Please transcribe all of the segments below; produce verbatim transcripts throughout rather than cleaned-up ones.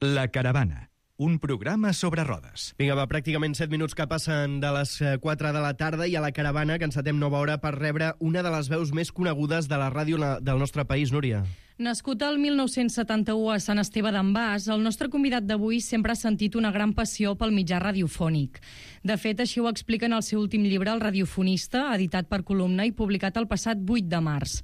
La Caravana, un programa sobre rodes. Vinga, va, pràcticament set minuts que passen de les quatre de la tarda i a La Caravana que encetem nova hora per rebre una de les veus més conegudes de la ràdio del nostre país, Núria. Nascut el mil nou-cents setanta-u a Sant Esteve d'en Bas, el nostre convidat d'avui sempre ha sentit una gran passió pel mitjà radiofònic. De fet, així ho explica en el seu últim llibre, El radiofonista, editat per Columna i publicat el passat vuit de març.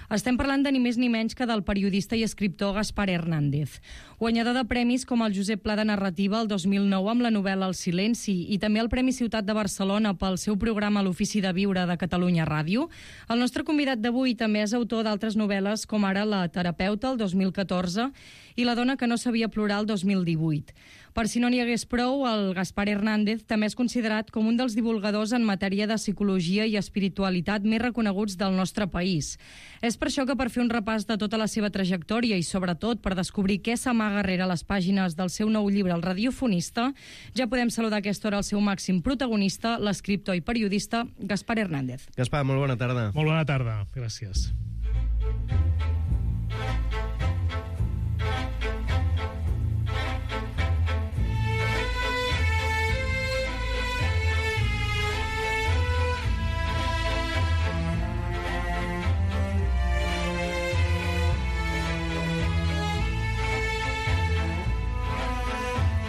Estem parlant de ni més ni menys que del periodista i escriptor Gaspar Hernández, guanyador de premis com el Josep Pla de Narrativa el dos mil nou amb la novel·la El silenci i també el Premi Ciutat de Barcelona pel seu programa L'Ofici de Viure de Catalunya Ràdio. El nostre convidat d'avui també és autor d'altres novel·les com ara La terapeuta el dos mil catorze i La dona que no sabia plorar el dos mil divuit. Per si no n'hi hagués prou, el Gaspar Hernández també és considerat com un dels divulgadors en matèria de psicologia i espiritualitat més reconeguts del nostre país. És per això que per fer un repàs de tota la seva trajectòria i sobretot per descobrir què s'amaga rere les pàgines del seu nou llibre El radiofonista, ja podem saludar a aquesta hora el seu màxim protagonista, l'escriptor i periodista Gaspar Hernández. Gaspar, molt bona tarda. Molt bona tarda, gràcies.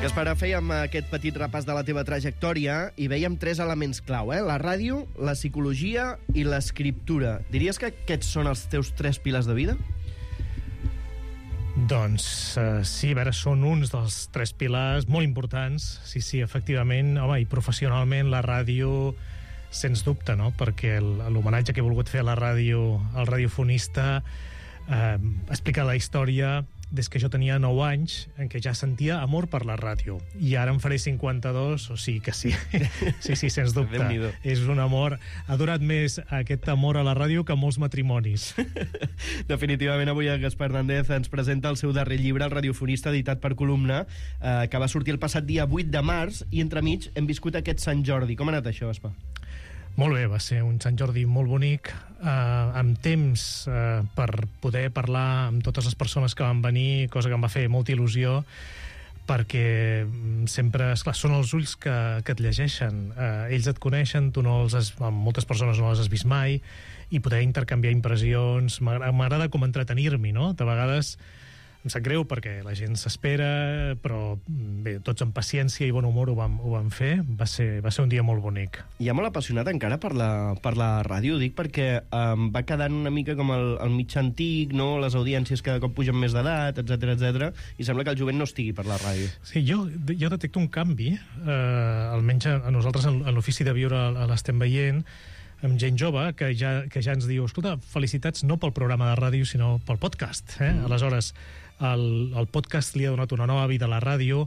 Gaspar, fèiem aquest petit repàs de la teva trajectòria i veiem tres elements clau, eh? La ràdio, la psicologia i l'escriptura. Diries que aquests són els teus tres pilars de vida? Doncs uh, sí, a veure, són uns dels tres pilars molt importants. Sí, sí, efectivament, home, i professionalment la ràdio, sens dubte, no? Perquè l'homenatge que he volgut fer a la ràdio, al radiofonista, eh, explica la història des que jo tenia nou anys, en què ja sentia amor per la ràdio. I ara en faré cinquanta-dos, o sigui que sí. Sí, sí, sens dubte. És un amor... Ha durat més aquest amor a la ràdio que molts matrimonis. Definitivament avui el Gaspar Hernández ens presenta el seu darrer llibre, El radiofonista, editat per Columna, eh, que va sortir el passat dia vuit de març, i entremig hem viscut aquest Sant Jordi. Com ha anat això, Gaspar? Molt bé, va ser un Sant Jordi molt bonic, eh, amb temps eh, per poder parlar amb totes les persones que van venir, cosa que em va fer molta il·lusió, perquè sempre, esclar, són els ulls que, que et llegeixen. Eh, ells et coneixen, tu no els has, moltes persones no les has vist mai, i poder intercanviar impressions. M'agrada com entretenir-m'hi, no? De vegades em sap greu perquè la gent s'espera, però bé, tots amb paciència i bon humor ho vam, ho vam fer. Va ser, va ser un dia molt bonic. Hi ha molt apassionat encara per la, per la ràdio, dic, perquè um, va quedant una mica com el, el mitjà antic, no? Les audiències cada cop pugen més d'edat, etcètera, etcètera, i sembla que el jovent no estigui per la ràdio. Sí, jo, jo detecto un canvi, eh, almenys a nosaltres en, en l'Ofici de Viure l'estem veient, amb gent jove que ja, que ja ens diu, escolta, felicitats no pel programa de ràdio, sinó pel podcast. Eh? Mm. Aleshores, el, el podcast li ha donat una nova vida a la ràdio,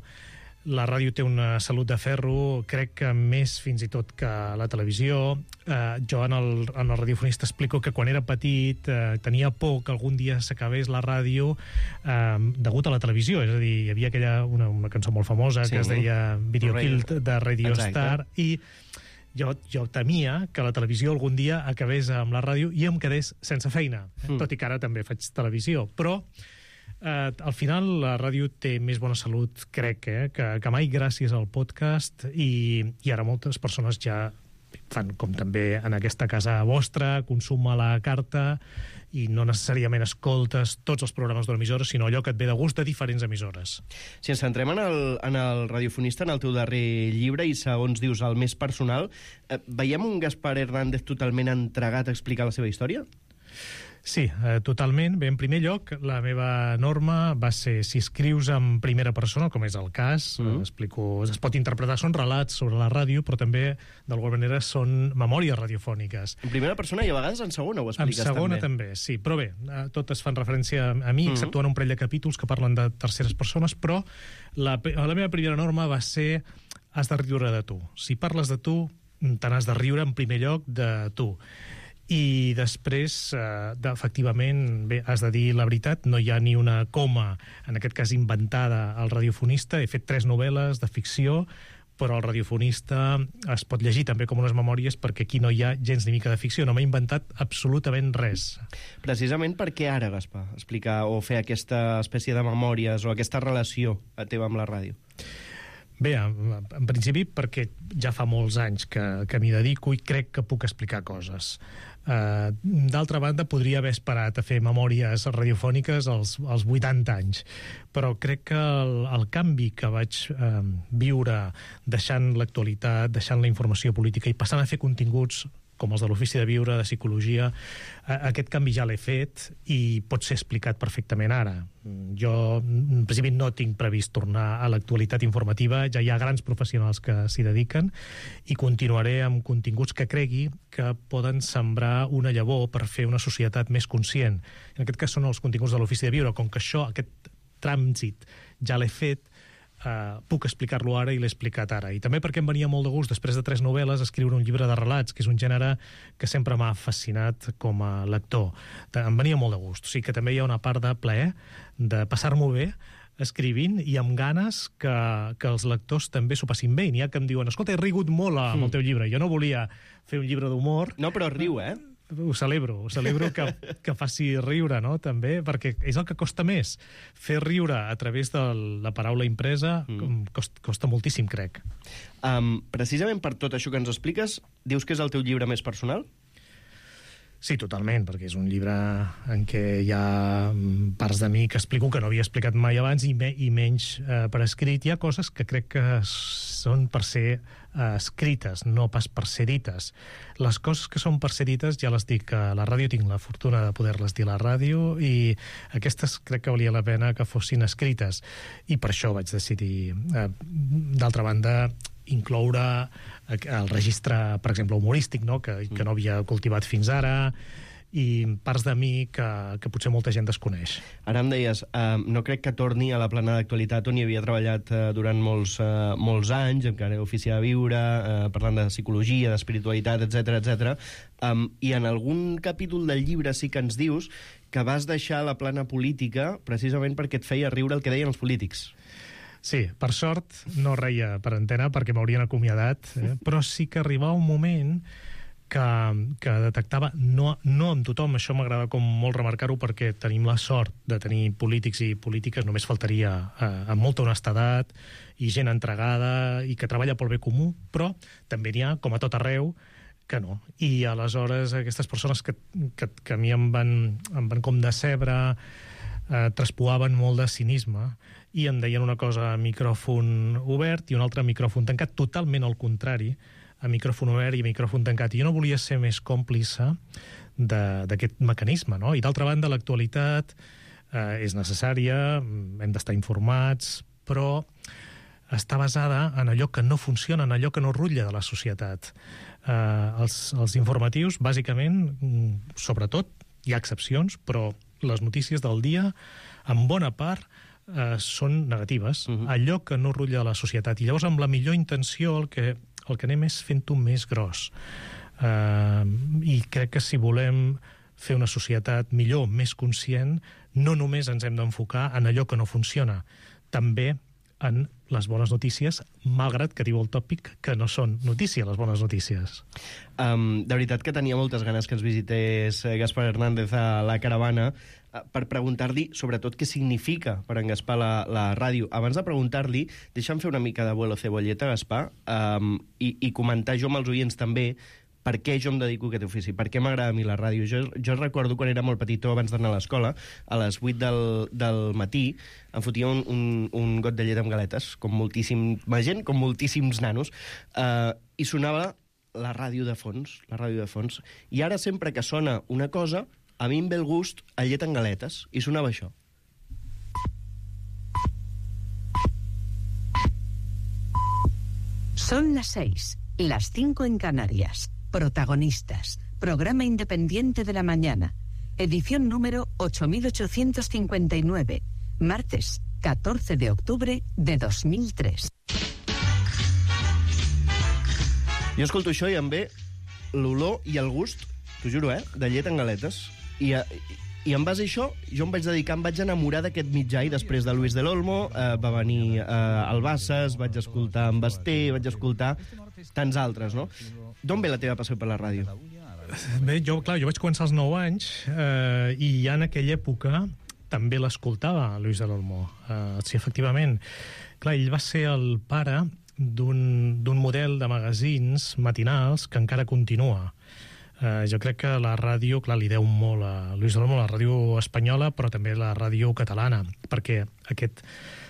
la ràdio té una salut de ferro, crec que més fins i tot que la televisió. Eh, jo en el, en el radiofonista explico que quan era petit eh, tenia por que algun dia s'acabés la ràdio eh, degut a la televisió, és a dir, hi havia aquella, una, una cançó molt famosa, sí, que es deia Video Killed, de Radio Exacte. Star, i Jo, jo temia que la televisió algun dia acabés amb la ràdio i em quedés sense feina, mm. tot i que ara també faig televisió. Però eh, al final la ràdio té més bona salut, crec, eh, que, que mai gràcies al podcast, i, i ara moltes persones ja fan com també en aquesta casa vostra, consum a la carta, i no necessàriament escoltes tots els programes de l'emissora, sinó allò que et ve de gust de diferents emissores. Si ens centrem en el, en el radiofonista, en el teu darrer llibre, i segons dius el més personal, eh, veiem un Gaspar Hernández totalment entregat a explicar la seva història? Sí, eh, totalment. Bé, en primer lloc, la meva norma va ser, si escrius en primera persona, com és el cas, mm. eh, explico, es pot interpretar, són relats sobre la ràdio, però també, d'alguna manera, són memòries radiofòniques. En primera persona i a vegades en segona ho expliques també. En segona també, també sí. Però bé, eh, totes fan referència a mi, mm. exceptuant un parell de capítols que parlen de terceres persones, però la, la meva primera norma va ser has de riure de tu. Si parles de tu, te n'has de riure en primer lloc de tu. I després, eh, efectivament, bé, has de dir la veritat, no hi ha ni una coma, en aquest cas inventada, al radiofonista. He fet tres novel·les de ficció, però el radiofonista es pot llegir també com unes memòries perquè aquí no hi ha gens ni mica de ficció, no m'he inventat absolutament res. Precisament per què ara, Gaspar, explicar o fer aquesta espècie de memòries o aquesta relació teva amb la ràdio? Bé, en, en principi perquè ja fa molts anys que, que m'hi dedico i crec que puc explicar coses. Uh, d'altra banda, podria haver esperat a fer memòries radiofòniques als, als vuitanta anys, però crec que el, el canvi que vaig uh, viure deixant l'actualitat, deixant la informació política i passant a fer continguts com els de l'Ofici de Viure, de Psicologia, aquest canvi ja l'he fet i pot ser explicat perfectament ara. Jo, en principi, no tinc previst tornar a l'actualitat informativa, ja hi ha grans professionals que s'hi dediquen i continuaré amb continguts que cregui que poden sembrar una llavor per fer una societat més conscient. En aquest cas són els continguts de l'Ofici de Viure, com que això, aquest trànsit, ja l'he fet, Uh, puc explicar-lo ara i l'he explicat ara. I també perquè em venia molt de gust, després de tres novel·les, escriure un llibre de relats, que és un gènere que sempre m'ha fascinat com a lector. Em venia molt de gust. O sigui que també hi ha una part de plaer, de passar-m'ho bé, escrivint i amb ganes que, que els lectors també s'ho passin bé. I n'hi ha que em diuen, escolta, he rigut molt amb el teu llibre. Jo no volia fer un llibre d'humor. No, però riu, eh? Ho celebro, ho celebro que, que faci riure, no?, també, perquè és el que costa més. Fer riure a través de la paraula impresa mm. costa, costa moltíssim, crec. Um, precisament per tot això que ens expliques, dius que és el teu llibre més personal? Sí, totalment, perquè és un llibre en què hi ha parts de mi que explico que no havia explicat mai abans i, me, i menys eh, per escrit. Hi ha coses que crec que són per ser eh, escrites, no pas per ser dites. Les coses que són per ser dites ja les dic a la ràdio, tinc la fortuna de poder-les dir a la ràdio i aquestes crec que valia la pena que fossin escrites i per això vaig decidir. Eh, d'altra banda, incloure el registre, per exemple, humorístic, no?, que, que no havia cultivat fins ara, i parts de mi que, que potser molta gent desconeix. Ara em deies, eh, no crec que torni a la plana d'actualitat on hi havia treballat eh, durant molts, eh, molts anys, encara Ofici de Viure, eh, parlant de psicologia, d'espiritualitat, etcètera, etcètera. Um, I en algun capítol del llibre sí que ens dius que vas deixar la plana política precisament perquè et feia riure el que deien els polítics. Sí, per sort no reia per antena perquè m'haurien acomiadat, eh? Però sí que arribava un moment que, que detectava, no, no amb tothom, això m'agrada com molt remarcar-ho perquè tenim la sort de tenir polítics i polítiques, només faltaria eh, amb molta honestedat i gent entregada i que treballa pel bé comú, però també n'hi ha, com a tot arreu, que no. I aleshores aquestes persones que, que, que a mi em van, em van com decebre, eh, traspuaven molt de cinisme i em deien una cosa a micròfon obert i una altra a micròfon tancat, totalment al contrari, a micròfon obert i a micròfon tancat. I jo no volia ser més còmplice d'aquest mecanisme, no? I d'altra banda, l'actualitat eh, és necessària, hem d'estar informats, però està basada en allò que no funciona, en allò que no rutlla de la societat. Eh, els, els informatius, bàsicament, sobretot, hi ha excepcions, però les notícies del dia, en bona part, eh, són negatives. Uh-huh. Allò que no rutlla de la societat. I llavors, amb la millor intenció, el que, el que anem és fent-ho més gros. Eh, I crec que si volem fer una societat millor, més conscient, no només ens hem d'enfocar en allò que no funciona, també en les bones notícies, malgrat que diu el tòpic que no són notícia, les bones notícies. Um, de veritat que tenia moltes ganes que ens visités Gaspar Hernández a la caravana uh, per preguntar-li, sobretot, què significa per en Gaspar la, la ràdio. Abans de preguntar-li, deixa'm fer una mica de vuelo cebolleta, Gaspar, um, i, i comentar jo amb els oients també per què jo em dedico a aquest ofici, per què m'agrada a mi la ràdio. Jo, jo recordo quan era molt petitó, abans d'anar a l'escola, a les vuit del, del matí, em fotia un, un, un got de llet amb galetes, com moltíssima gent, com moltíssims nanos, eh, i sonava la ràdio de fons, la ràdio de fons. I ara sempre que sona una cosa, a mi em ve el gust a llet amb galetes, i sonava això. Son las seis, las cinco en Canarias. Protagonistas. Programa independiente de la mañana. Edición número ocho mil ochocientos cincuenta y nueve. Martes, catorce de octubre de dos mil tres. Jo escolto això i em ve l'olor i el gust, t'ho juro, eh, de llet amb galetes. I, I en base a això, jo em vaig dedicar, em vaig enamorar d'aquest mitjà, i després de Luis del Olmo eh, va venir eh, el Bassas, vaig escoltar en Basté, vaig escoltar tants altres, no? D'on ve la teva passió per la ràdio? Bé, jo, clar, jo vaig començar als nou anys eh, i ja en aquella època també l'escoltava, Luis del Olmo. Eh, sí, efectivament. Clar, ell va ser el pare d'un model de magazins matinals que encara continua. Uh, jo crec que la ràdio, clar, li deu molt a Luis del Olmo, la ràdio espanyola, però també la ràdio catalana, perquè aquest,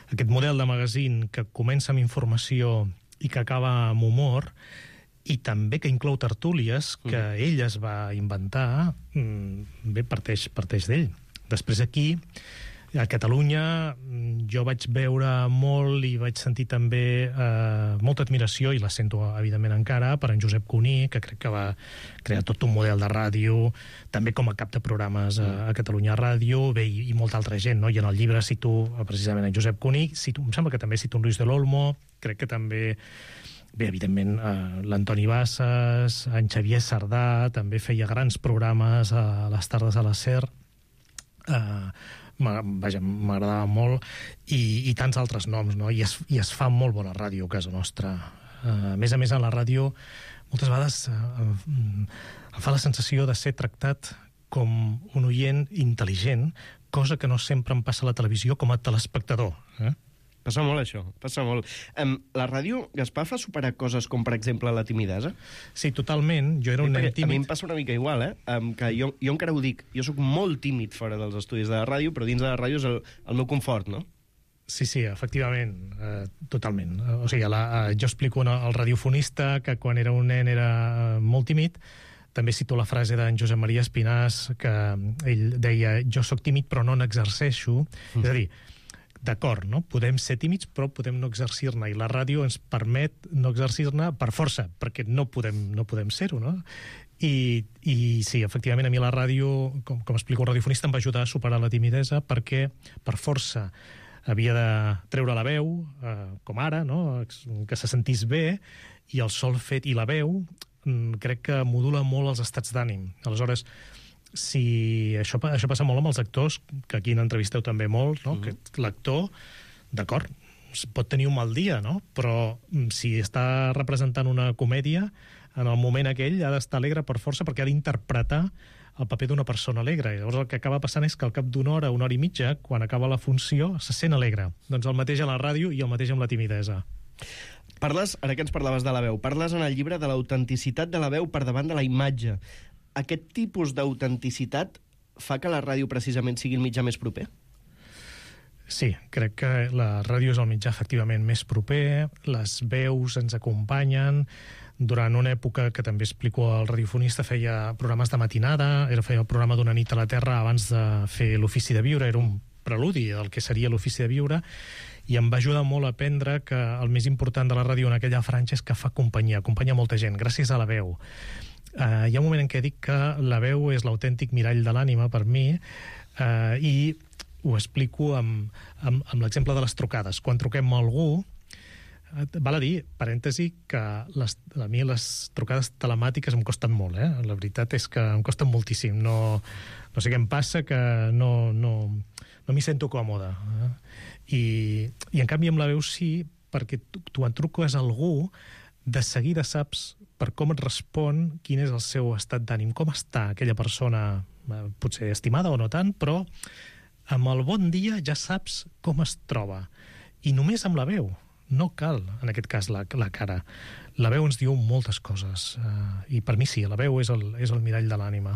aquest model de magazín que comença amb informació i que acaba amb humor, i també que inclou tertúlies que mm. ell es va inventar, bé, parteix, parteix d'ell. Després aquí, a Catalunya, jo vaig veure molt i vaig sentir també eh, molta admiració, i la sento evidentment encara, per en Josep Cuní, que crec que va crear tot un model de ràdio, també com a cap de programes a, a Catalunya Ràdio, bé, i, i molta altra gent, no? I en el llibre cito precisament en Josep Cuní, cito, em sembla que també cito en Luis del Olmo, crec que també, bé, evidentment, eh, l'Antoni Bassas, en Xavier Sardà, també feia grans programes a les tardes a la SER, eh, vaja, m'agradava molt, i, i tants altres noms, no? I es, i es fa molt bona ràdio a casa nostra. Uh, a més a més, a la ràdio, moltes vegades uh, em fa la sensació de ser tractat com un oient intel·ligent, cosa que no sempre em passa a la televisió com a telespectador. Eh? Passa molt, això, passa molt. Um, la ràdio, Gaspar, fa superar coses com, per exemple, la timidesa? Sí, totalment. Jo era un nen tímid. A mi em passa una mica igual, eh? Um, que jo, jo encara ho dic. Jo sóc molt tímid fora dels estudis de la ràdio, però dins de la ràdio és el, el meu confort, no? Sí, sí, efectivament, eh, totalment. O sigui, la, eh, jo explico al radiofonista que quan era un nen era molt tímid. També cito la frase d'en Josep Maria Espinàs, que ell deia, jo sóc tímid però no n'exerceixo. Mm. És a dir, d'acord, no? Podem ser tímids, però podem no exercir-ne, i la ràdio ens permet no exercir-ne per força, perquè no podem, no podem ser-ho, no? I, I sí, efectivament, a mi la ràdio, com, com explico el radiofonista, em va ajudar a superar la timidesa, perquè per força havia de treure la veu, eh, com ara, no? Que se sentís bé, i el sol fet i la veu crec que modula molt els estats d'ànim. Aleshores, si això, això passa molt amb els actors, que aquí n'entrevisteu també molt, no? Mm. Que l'actor, d'acord, pot tenir un mal dia, no? Però si està representant una comèdia, en el moment aquell ha d'estar alegre per força, perquè ha d'interpretar el paper d'una persona alegre. I llavors el que acaba passant és que al cap d'una hora, una hora i mitja, quan acaba la funció, se sent alegre. Doncs el mateix a la ràdio i el mateix amb la timidesa. Parles, ara que ens parlaves de la veu, parles en el llibre de l'autenticitat de la veu per davant de la imatge. Aquest tipus d'autenticitat fa que la ràdio precisament sigui el mitjà més proper? Sí, crec que la ràdio és el mitjà efectivament més proper, les veus ens acompanyen. Durant una època que també explico, el radiofonista feia programes de matinada, era feia el programa d'Una nit a la Terra abans de fer l'Ofici de Viure, era un preludi del que seria l'Ofici de Viure, i em va ajudar molt a aprendre que el més important de la ràdio en aquella franja és que fa companyia, acompanya molta gent, gràcies a la veu. Uh, hi ha un moment en què dic que la veu és l'autèntic mirall de l'ànima per mi, uh, i ho explico amb, amb, amb l'exemple de les trucades. Quan truquem a algú, uh, val a dir, parèntesi, que les, a mi les trucades telemàtiques em costen molt, eh? La veritat és que em costen moltíssim. No, no sé què em passa, que no, no, no m'hi sento còmode. Eh? I, I en canvi amb la veu sí, perquè tu, tu en truques a algú, de seguida saps per com et respon, quin és el seu estat d'ànim, com està aquella persona, potser estimada o no tant, però amb el bon dia ja saps com es troba. I només amb la veu. No cal, en aquest cas, la, la cara. La veu ens diu moltes coses. Uh, I per mi sí, la veu és el, és el mirall de l'ànima.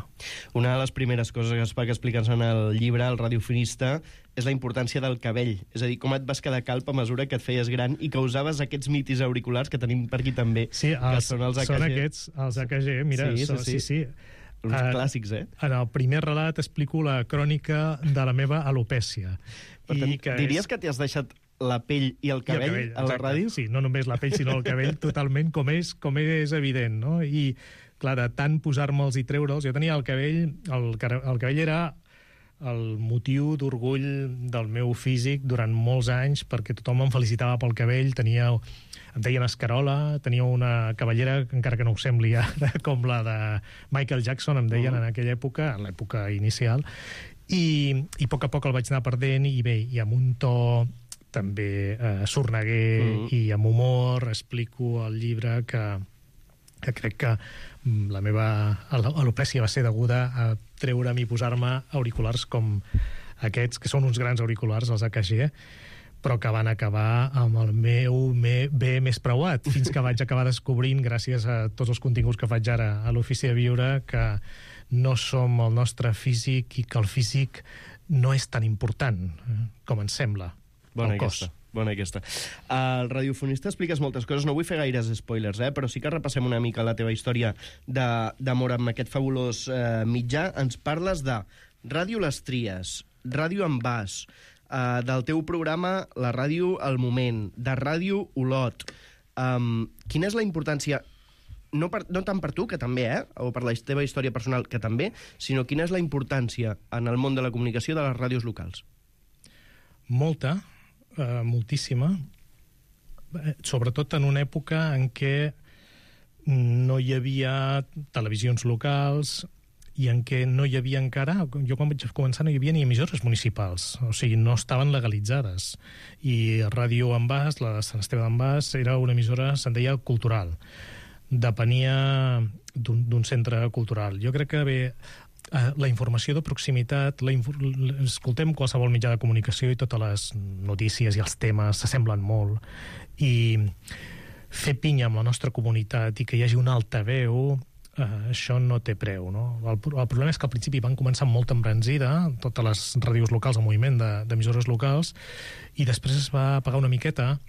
Una de les primeres coses que expliques en el llibre, el radiofonista, és la importància del cabell. És a dir, com et vas quedar calp a mesura que et feies gran i que usaves aquests mitis auriculars que tenim per aquí també. Sí, els, que són els A K G. Són aquests, els A K G. Mira, sí, so, sí, sí, sí. Uns uh, clàssics, eh? En el primer relat explico la crònica de la meva alopècia. Per tant, I que diries és... que t'has deixat la pell i el cabell, I el cabell a la exacte. ràdio? Sí, no només la pell, sinó el cabell, totalment, com és, com és evident, no? I, clar, de tant posar-me'ls i treure'ls, jo tenia el cabell, el, el cabell era el motiu d'orgull del meu físic durant molts anys, perquè tothom em felicitava pel cabell, tenia, em deien escarola, tenia una cabellera, encara que no ho sembli ara, com la de Michael Jackson, em deien uh -huh. en aquella època, en l'època inicial, I, i a poc a poc el vaig anar perdent, i bé, i amb un to també eh, sorneguer mm. i amb humor explico al llibre que, que crec que la meva alopècia va ser deguda a treure'm i posar-me auriculars com aquests, que són uns grans auriculars, els A K G, però que van acabar amb el meu me, bé més preuat, fins que vaig acabar descobrint, gràcies a tots els continguts que faig ara a l'Ofici de Viure, que no som el nostre físic i que el físic no és tan important eh, com ens sembla. Bona aquesta, bona aquesta. Al radiofonista expliques moltes coses, no vull fer gaires spoilers, eh? Però sí que repassem una mica la teva història d'amor amb aquest fabulós eh, mitjà. Ens parles de Ràdio Les Tries, Ràdio Envàs, eh, del teu programa La Ràdio al Moment, de Ràdio Olot. Um, quina és la importància, no, per, no tant per tu, que també, eh? O per la teva història personal, que també, sinó quina és la importància en el món de la comunicació de les ràdios locals? Molta. Uh, moltíssima, sobretot en una època en què no hi havia televisions locals i en què no hi havia encara, jo quan vaig començar no hi havia ni emissores municipals, o sigui, no estaven legalitzades. I Ràdio Envàs, la de Sant Esteve d'Envàs, era una emissora, se'n deia cultural. Depenia d'un centre cultural. Jo crec que bé, la informació de proximitat, la infor... escoltem qualsevol mitjà de comunicació i totes les notícies i els temes s'assemblen molt, i fer pinya amb la nostra comunitat i que hi hagi un altaveu, eh, això no té preu, no? El, el problema és que al principi van començar amb molta embranzida, totes les ràdios locals, el moviment d'emissores locals, i després es va apagar una miqueta,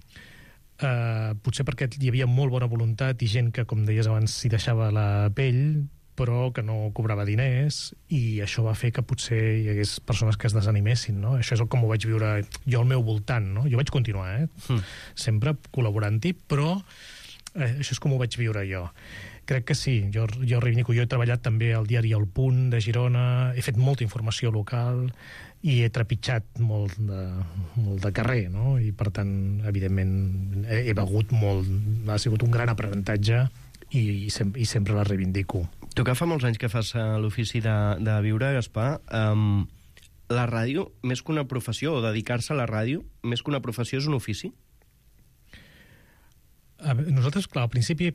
eh, potser perquè hi havia molt bona voluntat i gent que, com deies abans, s'hi deixava la pell, però que no cobrava diners, i això va fer que potser hi hagués persones que es desanimessin, no? Això és com ho vaig viure jo al meu voltant, no? Jo vaig continuar, eh? Mm. Sempre col·laborant-hi, però eh, això és com ho vaig viure jo. Crec que sí, jo, jo reivindico, jo he treballat també al diari El Punt de Girona, he fet molta informació local i he trepitjat molt de, molt de carrer, no? I per tant, evidentment, he, he begut molt, ha sigut un gran aprenentatge, i, i, sem i sempre la reivindico. Tu que fa molts anys que fas l'ofici de, de viure, Gaspar, um, la ràdio, més que una professió, o dedicar-se a la ràdio, més que una professió, és un ofici? A veure, nosaltres, clar, al principi,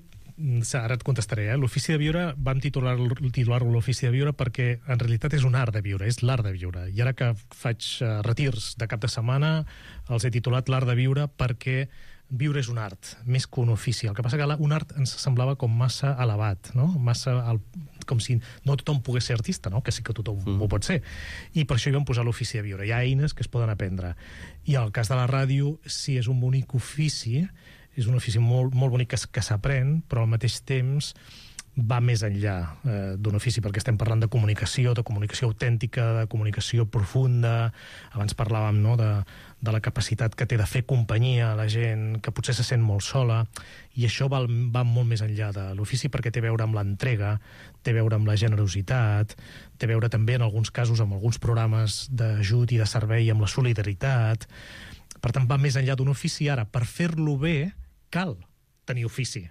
ara et contestaré, eh? L'ofici de viure, vam titular-lo titular l'ofici de viure perquè en realitat és un art de viure, és l'art de viure. I ara que faig uh, retirs de cap de setmana, els he titulat l'art de viure perquè viure és un art, més que un ofici. El que passa que un art ens semblava com massa elevat, no? Massa el, com si no tothom pogués ser artista, no? Que sí que tothom mm. ho pot ser. I per això hi vam posar l'ofici de viure. Hi ha eines que es poden aprendre. I en el cas de la ràdio, sí, és un bonic ofici, és un ofici molt, molt bonic que, que s'aprèn, però al mateix temps va més enllà eh, d'un ofici, perquè estem parlant de comunicació, de comunicació autèntica, de comunicació profunda. Abans parlàvem, no?, de, de la capacitat que té de fer companyia a la gent, que potser se sent molt sola, i això va, va molt més enllà de l'ofici, perquè té a veure amb l'entrega, té a veure amb la generositat, té a veure també, en alguns casos, amb alguns programes d'ajut i de servei, amb la solidaritat. Per tant, va més enllà d'un ofici. Ara, per fer-lo bé, cal tenir ofici,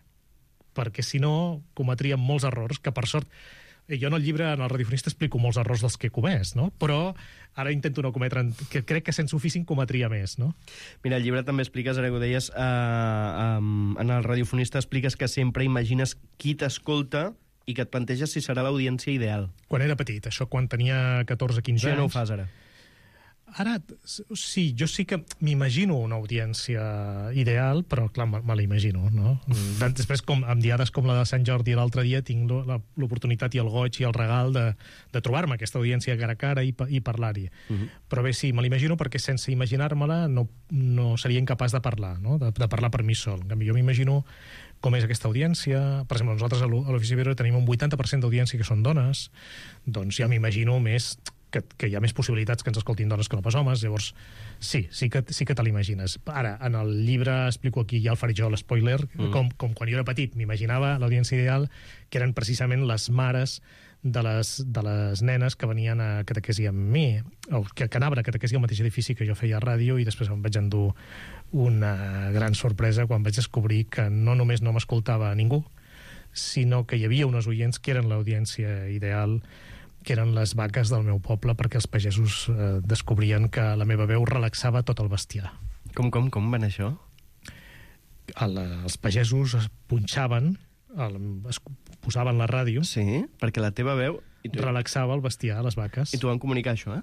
perquè si no cometríem molts errors, que per sort, jo en el llibre, en el radiofonista, explico molts errors dels que he comès, no? Però ara intento no cometre, que crec que sense ofici en cometria més, no? Mira, el llibre també expliques, ara que ho deies, eh, eh, en el radiofonista expliques que sempre imagines qui t'escolta i que et planteges si serà l'audiència ideal. Quan era petit, això quan tenia catorze quinze anys. Això ja no ho fas ara. Ara, sí, jo sí que m'imagino una audiència ideal, però, clar, me, me la imagino, no? Després, com, amb diades com la de Sant Jordi l'altre dia, tinc l'oportunitat i el goig i el regal de, de trobar-me aquesta audiència cara a cara i, i parlar-hi. Uh -huh. Però bé, sí, me l'imagino perquè sense imaginar-me-la no, no seria incapaç de parlar, no? De, de parlar per mi sol. En canvi, jo m'imagino com és aquesta audiència. Per exemple, nosaltres a l'Ofici de Viure tenim un vuitanta per cent d'audiència que són dones, doncs ja m'imagino més que, que hi ha més possibilitats que ens escoltin dones que no pas homes, llavors sí, sí que, sí que te l'imagines. Ara, en el llibre explico aquí, ja el faré jo, l'espoiler, mm. com, com quan jo era petit m'imaginava l'audiència ideal, que eren precisament les mares de les, de les nenes que venien a catequesi amb mi, o que, que anaven a catequesi al mateix edifici que jo feia a ràdio, i després em vaig endur una gran sorpresa quan vaig descobrir que no només no m'escoltava ningú, sinó que hi havia unes oients que eren l'audiència ideal, que eren les vaques del meu poble, perquè els pagesos eh, descobrien que la meva veu relaxava tot el bestiar. Com, com, com van això? El, els pagesos es punxaven, el, es posaven la ràdio, Sí, perquè la teva veu... I tu, relaxava el bestiar, les vaques. i tu van comunicar això, eh?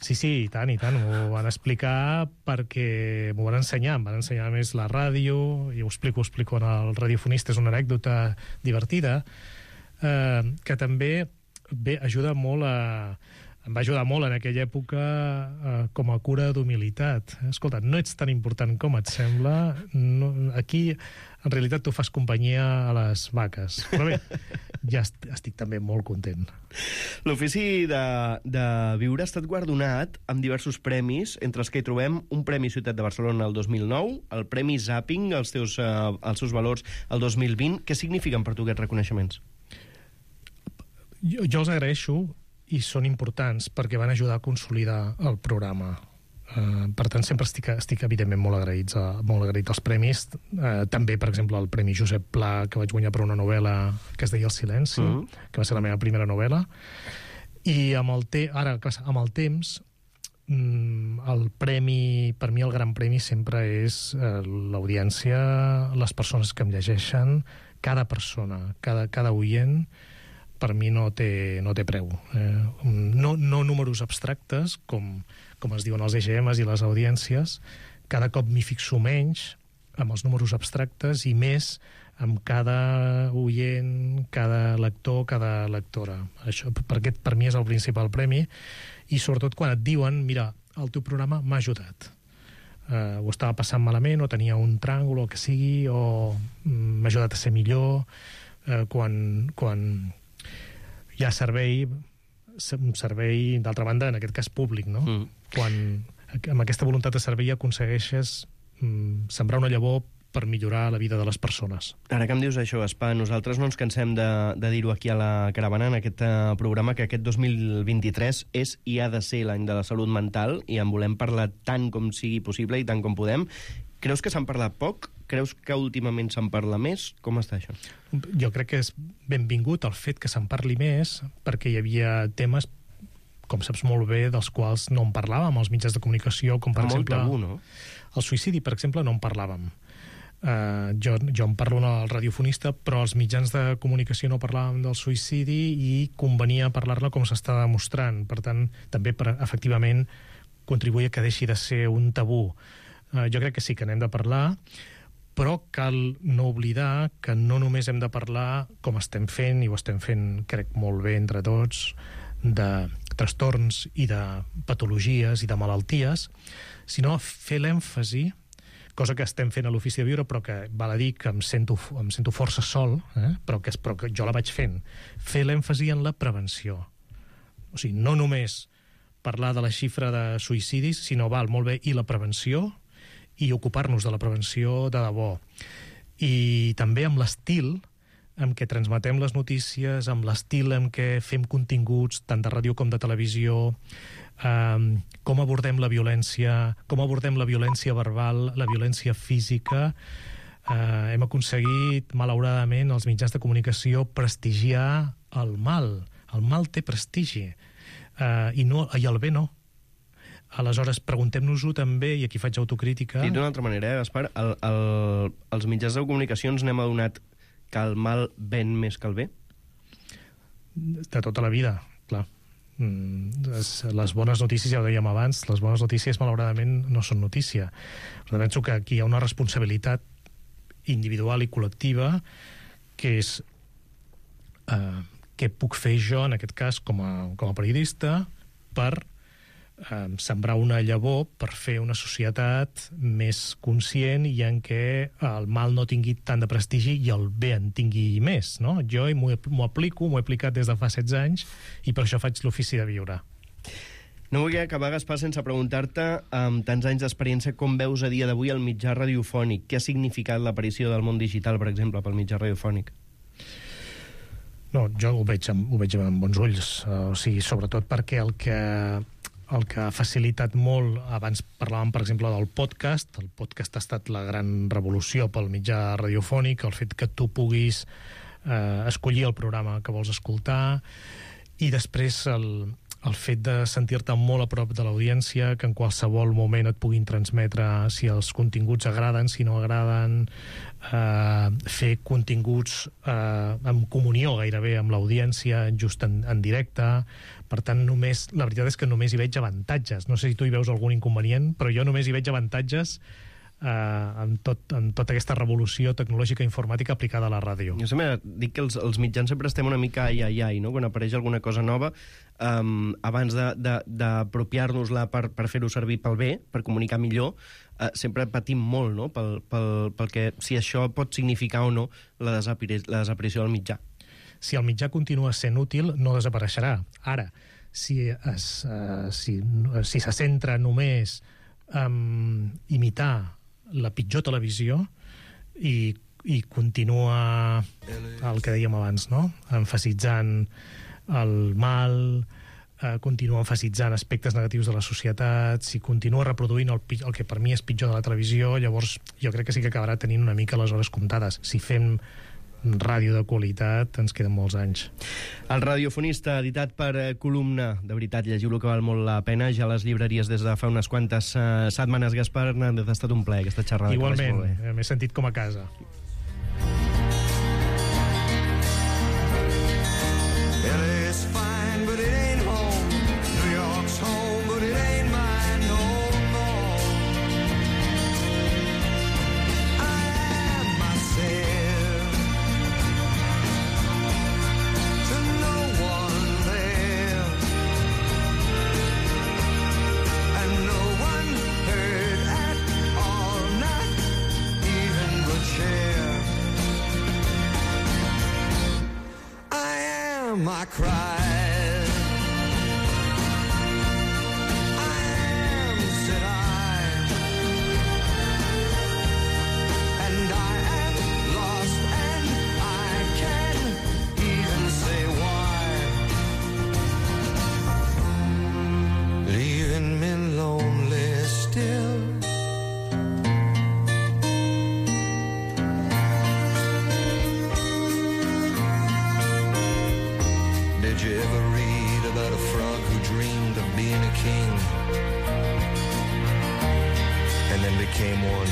Sí, sí, i tant, i tant. M'ho van explicar perquè m'ho van ensenyar. Em van ensenyar més la ràdio, i ho explico, ho explico en el radiofonista. És una anècdota divertida, eh, que també bé, ajuda molt a... Em va ajudar molt en aquella època eh, com a cura d'humilitat. Escolta, no ets tan important com et sembla. No, aquí, en realitat, tu fas companyia a les vaques. Però bé, ja est estic també molt content. L'Ofici de, de Viure ha estat guardonat amb diversos premis, entre els que hi trobem un Premi Ciutat de Barcelona el dos mil nou, el Premi Zapping, els, teus, eh, els seus valors el dos mil vint. Què signifiquen per tu aquests reconeixements? Jo, jo els agraeixo, i són importants perquè van ajudar a consolidar el programa. Uh, per tant, sempre estic, estic evidentment molt agraïts a, molt agraït als premis. Uh, també, per exemple, el Premi Josep Pla, que vaig guanyar per una novel·la que es deia El silenci, uh -huh. que va ser la meva primera novel·la. I amb el, te ara, amb el temps, el premi, per mi el gran premi sempre és uh, l'audiència, les persones que em llegeixen, cada persona, cada, cada oient, per mi no té, no té preu. Eh, no, no números abstractes, com, com es diuen els E G Ms i les audiències. Cada cop m'hi fixo menys amb els números abstractes i més amb cada oient, cada lector, cada lectora. Això, per, aquest, per mi és el principal premi. I sobretot quan et diuen, mira, el teu programa m'ha ajudat. Uh, ho estava passant malament, o tenia un tràngol, o el que sigui, o mm, m'ha ajudat a ser millor. Uh, quan... quan hi ha servei, un servei, d'altra banda, en aquest cas públic, no? Mm. Quan amb aquesta voluntat de servei aconsegueixes mm, sembrar una llavor per millorar la vida de les persones. Ara que em dius això, Espa, nosaltres no ens cansem de, de dir-ho aquí a la Caravana, en aquest uh, programa, que aquest dos mil vint-i-tres és i ha de ser l'any de la salut mental, i en volem parlar tant com sigui possible i tant com podem. Creus que se'n parla poc? Creus que últimament se'n parla més? Com està això? Jo crec que és benvingut el fet que se'n parli més, perquè hi havia temes, com saps molt bé, dels quals no en parlàvem als mitjans de comunicació, com per Molt exemple... tabú, no? El suïcidi, per exemple, no en parlàvem. Uh, jo, jo en parlo al radiofonista, però els mitjans de comunicació no parlàvem del suïcidi i convenia parlar-ne com s'està demostrant. Per tant, també per, efectivament, contribuir a que deixi de ser un tabú. Uh, jo crec que sí que n'hem de parlar, però cal no oblidar que no només hem de parlar, com estem fent, i ho estem fent, crec, molt bé entre tots, de trastorns i de patologies i de malalties, sinó fer l'èmfasi, cosa que estem fent a l'Ofici de Viure, però que val a dir que em sento, em sento força sol, eh? però, que, però que jo la vaig fent, fer l'èmfasi en la prevenció. O sigui, no només parlar de la xifra de suïcidis, sinó val molt bé i la prevenció, i ocupar-nos de la prevenció de debò. I també amb l'estil amb què transmetem les notícies, amb l'estil amb què fem continguts, tant de ràdio com de televisió, eh, com abordem la violència, com abordem la violència verbal, la violència física. Eh, hem aconseguit, malauradament, els mitjans de comunicació prestigiar el mal. El mal té prestigi, eh, i, no, i el bé no. Aleshores, preguntem-nos-ho també, i aquí faig autocrítica... I d'una altra manera, eh, Gaspar, el, el, els mitjans de comunicació ens n'hem adonat que el mal ven més que el bé? De tota la vida, clar. Les bones notícies, ja ho dèiem abans, les bones notícies, malauradament, no són notícia. Però penso que aquí hi ha una responsabilitat individual i col·lectiva que és eh, què puc fer jo, en aquest cas, com a, com a periodista, per eh, sembrar una llavor, per fer una societat més conscient i en què el mal no tingui tant de prestigi i el bé en tingui més, no? Jo m'ho aplico, m'ho he aplicat des de fa setze anys i per això faig l'Ofici de Viure. No vull acabar, Gaspar, sense preguntar-te, amb tants anys d'experiència, com veus a dia d'avui el mitjà radiofònic? Què ha significat l'aparició del món digital, per exemple, pel mitjà radiofònic? No, jo ho veig amb, ho veig amb bons ulls. Uh, o sigui, sobretot perquè el que, el que ha facilitat molt, abans parlàvem, per exemple, del podcast, el podcast ha estat la gran revolució pel mitjà radiofònic, el fet que tu puguis uh, escollir el programa que vols escoltar, I després el, el fet de sentir-te molt a prop de l'audiència, que en qualsevol moment et puguin transmetre si els continguts agraden, si no agraden, eh, fer continguts eh, en comunió gairebé amb l'audiència, just en, en directe. Per tant, només, la veritat és que només hi veig avantatges. No sé si tu hi veus algun inconvenient, però jo només hi veig avantatges Uh, en, tot, en tota aquesta revolució tecnològica informàtica aplicada a la ràdio. Jo sempre dic que els, els mitjans sempre estem una mica ai, ai, ai, no? Quan apareix alguna cosa nova, um, abans d'apropiar-nos-la per, per fer-ho servir pel bé, per comunicar millor, uh, sempre patim molt, no? Pel, pel, pel que, si això pot significar o no la, desapari la desaparició del mitjà. Si el mitjà continua sent útil, no desapareixerà. Ara, si, es, uh, si, si se centra només en imitar la pitjor televisió i, i continua el que dèiem abans, no? Emfasitzant el mal, eh, continua emfasitzant aspectes negatius de la societat, si continua reproduint el, el que per mi és pitjor de la televisió, llavors jo crec que sí que acabarà tenint una mica les hores comptades. Si fem ràdio de qualitat, ens queden molts anys. El radiofonista, editat per eh, Columna. De veritat, llegiu-lo, que val molt la pena. Ja a les llibreries des de fa unes quantes eh, setmanes. Gaspar Hernández, ha estat un plaer aquesta xerrada. Igualment, m'he sentit com a casa. I cried. I am, said I, and I am lost, and I can't even say why. Leaving me lonely still. Did you ever read about a frog who dreamed of being a king and then became one?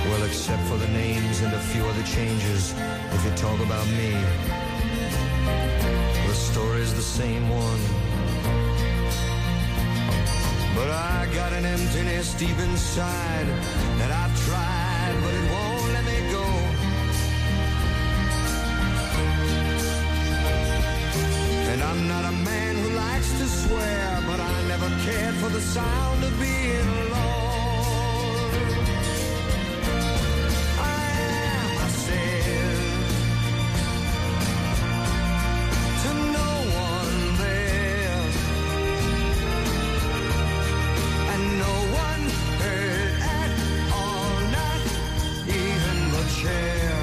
Well, except for the names and a few other changes, if you talk about me, the story's the same one. But I got an emptiness deep inside that I've tried, but it won't let me go. And I'm not a man who likes to swear, but I never cared for the sound of being alone. I am, I said, to no one there, and no one heard at all, not even the chair.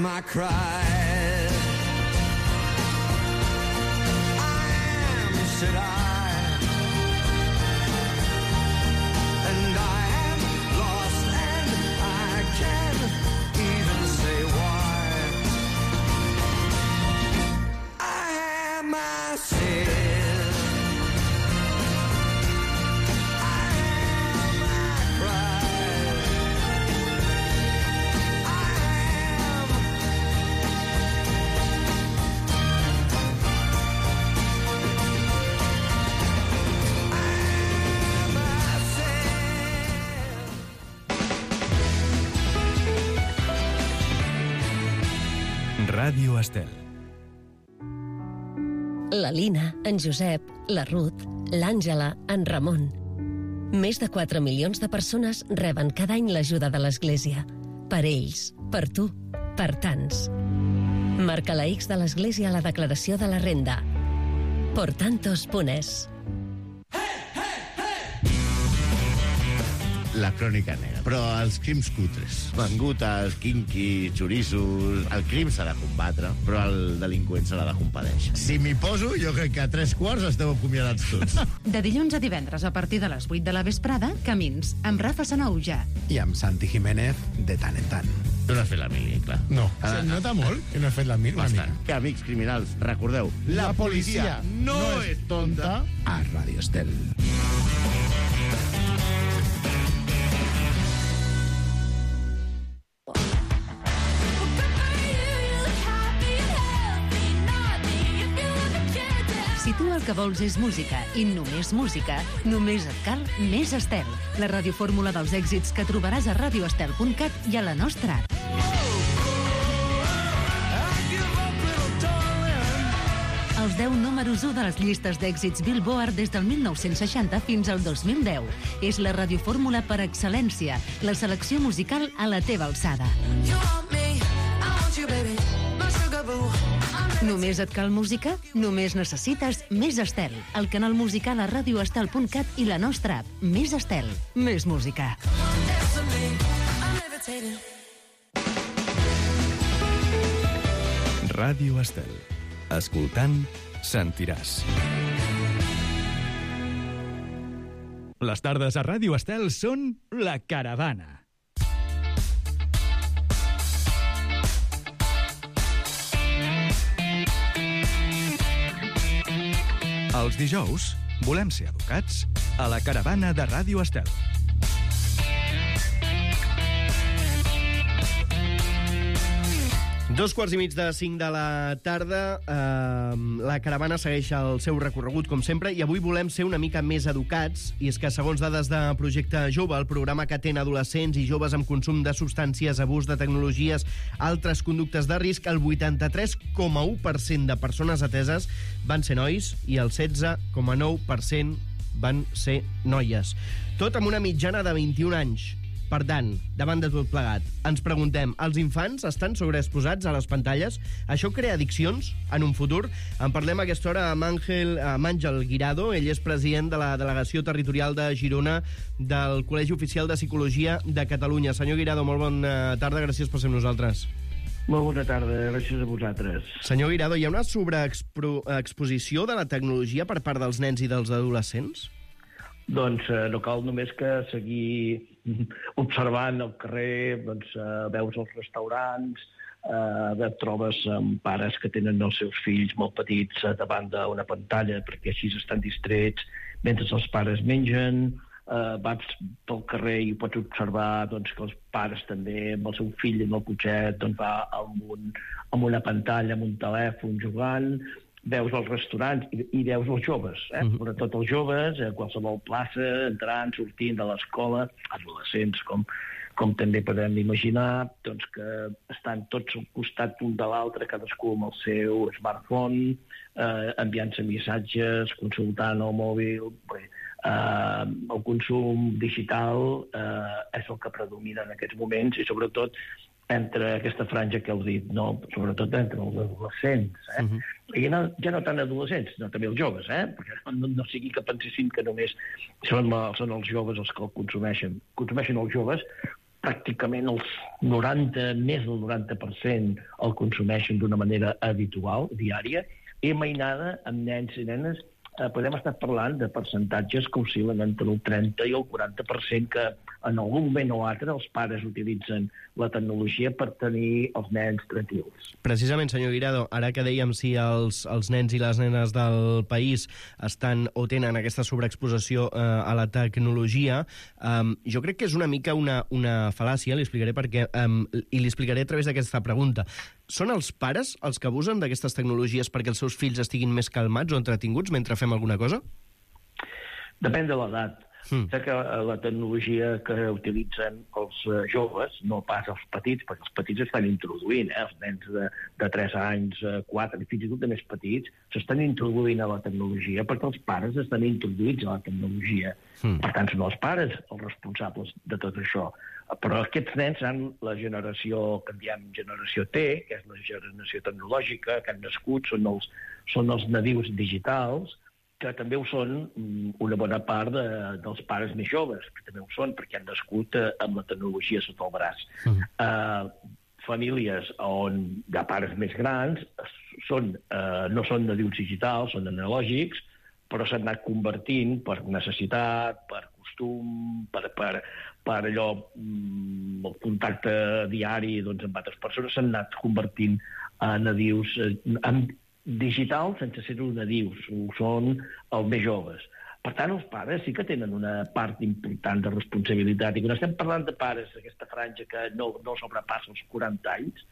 I cried. I am, said I, and I am lost, and I can't even say why. I am, I said, I am, I cried. Ràdio Estel. La Lina, en Josep, la Ruth, l'Àngela, en Ramon. Més de quatre milions de persones reben cada any l'ajuda de l'Església. Per ells, per tu, per tants. Marca la X de l'Església a la declaració de la renda. Por tantos punt es. La crònica negra. Però els crims cutres, mangutes, quinquis, xoriços... El crim s'ha de combatre, però el delinqüent s'ha de compadèixer. Si m'hi poso, jo crec que a tres quarts esteu acomiadats tots. De dilluns a divendres, a partir de les vuit de la vesprada, Camins, amb Rafa Sanauja. I amb Santi Jiménez, de tant en tant. Tu no has fet la mili, clar. No. Ah, Se nota molt que no he fet la mili. Bastant. Que, amics criminals, recordeu, la, La policia no, no és tonta a Ràdio Estel. Si tu el que vols és música i només música, només et cal Més Estel, la radiofórmula dels èxits que trobaràs a radio estel punt cat i a la nostra app. Els deu números u de les llistes d'èxits Billboard des del mil nou-cents seixanta fins al dos mil deu. És la radiofórmula per excel·lència, la selecció musical a la teva alçada. Només et cal música? Només necessites Més Estel, el canal musical a radio estel punt cat i la nostra app. Més Estel, més música. Ràdio Estel. Escoltant, sentiràs. Les tardes a Ràdio Estel són La Caravana. Els dijous volem ser educats a La Caravana de Ràdio Estel. Dos quarts i mig de cinc de la tarda, eh, la caravana segueix el seu recorregut, com sempre, i avui volem ser una mica més educats, i és que, segons dades de Projecte Jove, el programa que atén adolescents i joves amb consum de substàncies, abús de tecnologies, altres conductes de risc, el vuitanta-tres coma u per cent de persones ateses van ser nois i el setze coma nou per cent van ser noies. Tot amb una mitjana de vint-i-un anys. Per tant, davant de tot plegat, ens preguntem, els infants estan sobreexposats a les pantalles? Això crea addiccions en un futur? En parlem a aquesta hora amb Àngel, amb Àngel Guirado. Ell és president de la Delegació Territorial de Girona del Col·legi Oficial de Psicologia de Catalunya. Senyor Guirado, molt bona tarda, gràcies per ser amb nosaltres. Molt bona tarda, gràcies a vosaltres. Senyor Guirado, hi ha una sobreexposició de la tecnologia per part dels nens i dels adolescents? Doncs eh, no cal només que seguir observant al carrer, doncs, eh, veus als restaurants, eh, et trobes amb pares que tenen els seus fills molt petits eh, davant d'una pantalla perquè així estan distrets mentre els pares mengen, eh, vas pel carrer i pots observar doncs, que els pares també amb el seu fill en el cotxet doncs, va amb, un, amb una pantalla, amb un telèfon jugant. Veus els restaurants i, i veus els joves, eh? Uh-huh. Sobretot els joves, a qualsevol plaça, entrant, sortint de l'escola, adolescents, com, com també podem imaginar, doncs que estan tots al costat un de l'altre, cadascú amb el seu smartphone, eh, enviant-se missatges, consultant el mòbil. Bé, eh, el consum digital eh, és el que predomina en aquests moments i sobretot entre aquesta franja que heu dit, no? Sobretot entre els adolescents. Eh? Uh-huh. I no, ja no tant adolescents, no també els joves, eh? Perquè no, no sigui que pensessin que només són, són els joves els que el consumeixen. Consumeixen els joves, pràcticament els noranta, més del noranta per cent el consumeixen d'una manera habitual, diària, i mainada amb nens i nenes eh, podem estar parlant de percentatges que oscil·len entre el trenta i el quaranta per cent que en algun moment o altre els pares utilitzen la tecnologia per tenir els nens tranquils. Precisament, senyor Guirado, ara que dèiem si els, els nens i les nenes del país estan o tenen aquesta sobreexposició eh, a la tecnologia, eh, jo crec que és una mica una, una fal·làcia, li explicaré per què, eh, i li explicaré a través d'aquesta pregunta. Són els pares els que abusen d'aquestes tecnologies perquè els seus fills estiguin més calmats o entretinguts mentre fem alguna cosa? Depèn de l'edat. Mm. Sé que la tecnologia que utilitzen els uh, joves, no pas els petits, perquè els petits estan introduint, eh? Els nens de, de tres anys, quatre, uh, fins i tot de més petits, s'estan introduint a la tecnologia perquè els pares estan introduïts a la tecnologia. Mm. Per tant, són els pares els responsables de tot això. Però aquests nens han la generació que en diem generació T, que és la generació tecnològica, que han nascut, són els, són els nadius digitals, que també ho són una bona part de, dels pares més joves, que també ho són perquè han nascut eh, amb la tecnologia sota el braç. Uh-huh. Eh, famílies on hi ha pares més grans són, eh, no són nadius digitals, són analògics, però s'han anat convertint per necessitat, per costum, costum, per, per, per allò, el contacte diari doncs, amb altres persones, s'han anat convertint en nadius, en digital sense ser-ho nadius, ho són els més joves. Per tant, els pares sí que tenen una part important de responsabilitat, i quan estem parlant de pares d'aquesta franja que no, no sobrepassa els quaranta anys,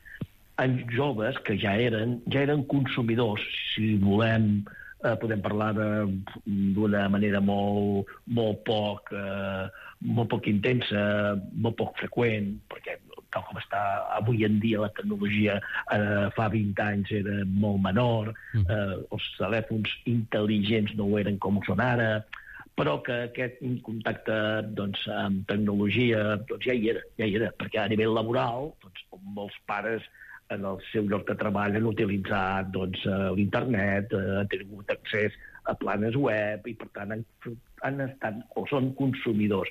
en joves que ja eren, ja eren consumidors, si volem, eh, podem parlar d'una manera molt, molt, poc, eh, molt poc intensa, molt poc freqüent, perquè tal com està avui en dia la tecnologia eh, fa vint anys era molt menor, eh, els telèfons intel·ligents no ho eren com ho són ara, però que aquest contacte doncs, amb tecnologia doncs, ja hi era, ja hi era, perquè a nivell laboral doncs, molts pares en el seu lloc de treball han utilitzat doncs, l'internet, han tingut accés a planes web i, per tant, han, han estat o són consumidors.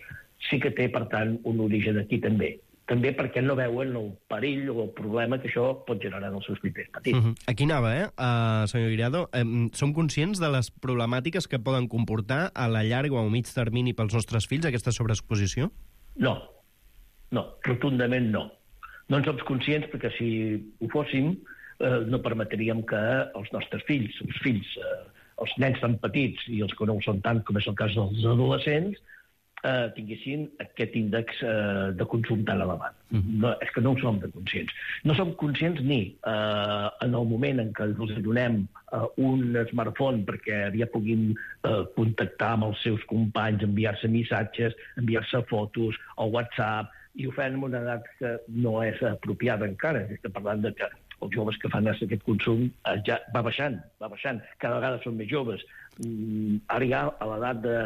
Sí que té, per tant, un origen aquí també. També perquè no veuen el perill o el problema que això pot generar en els seus fills petits. Uh-huh. Aquí anava, eh, uh, senyor Guirado. Um, som conscients de les problemàtiques que poden comportar a la llarga o a mig termini pels nostres fills aquesta sobreexposició? No. No, rotundament no. No en som conscients perquè si ho fóssim eh, no permetríem que els nostres fills, els fills, eh, els nens tan petits i els que no ho són tant, com és el cas dels adolescents, eh, tinguessin aquest índex eh, de consum tan elevat. Mm-hmm. No, és que no ho som de conscients. No som conscients ni eh, en el moment en què els donem eh, un smartphone perquè ja puguin eh, contactar amb els seus companys, enviar-se missatges, enviar-se fotos o WhatsApp, i ho fan en una edat que no és apropiada encara. Estem parlant de que els joves que fan aquest consum eh, ja va baixant, va baixant. Cada vegada són més joves. Mm, ara ja, a l'edat de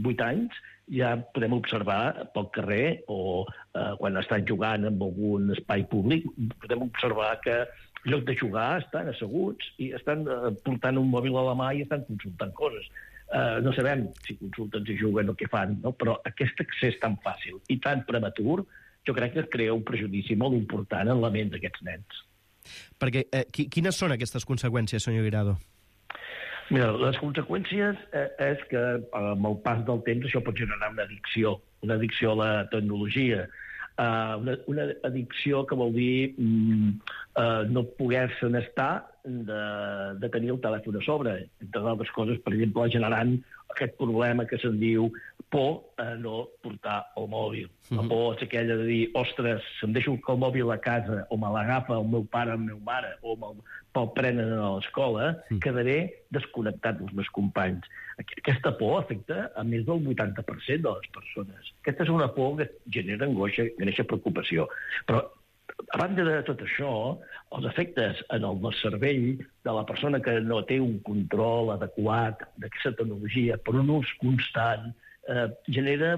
vuit anys, ja podem observar pel carrer o eh, quan estan jugant en algun espai públic, podem observar que en lloc de jugar estan asseguts i estan eh, portant un mòbil a la mà i estan consultant coses. Uh, no sabem si consulten, si juguen o què fan, no? Però aquest accés tan fàcil i tan prematur jo crec que crea un prejudici molt important en la ment d'aquests nens. Perquè, eh, quines són aquestes conseqüències, senyor Guirado? Mira, les conseqüències eh, és que amb el pas del temps això pot generar una addicció, una addicció a la tecnologia, uh, una, una addicció que vol dir mm, uh, no poder-se'n estar de, de tenir el telèfon a sobre, entre altres coses, per exemple, generant aquest problema que se'n diu por a no portar el mòbil. La por és aquella de dir, ostres, si em deixo el mòbil a casa o me l'agafa el meu pare o la meva mare o me'l, me'l prenen a l'escola, mm. quedaré desconnectat dels meus companys. Aquesta por afecta a més del vuitanta per cent de les persones. Aquesta és una por que genera angoixa, genera preocupació. Però a banda de tot això, els efectes en el cervell de la persona que no té un control adequat d'aquesta tecnologia per un ús constant eh, genera,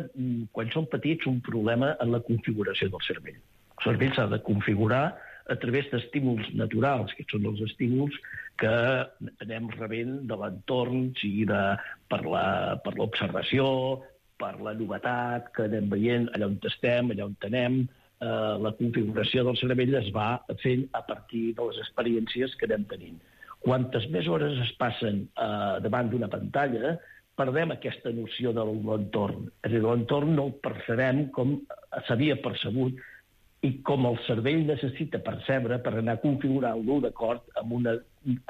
quan són petits, un problema en la configuració del cervell. El cervell s'ha de configurar a través d'estímuls naturals, que són els estímuls que anem rebent de l'entorn, sigui de, per l'observació, per la novetat que anem veient allà on estem, allà on anem. Uh, la configuració del cervell es va fent a partir de les experiències que anem tenint. Quantes més hores es passen uh, davant d'una pantalla, perdem aquesta noció de l'entorn. És a dir, l'entorn no el percebem com s'havia percebut i com el cervell necessita percebre per anar configurant-lo d'acord amb una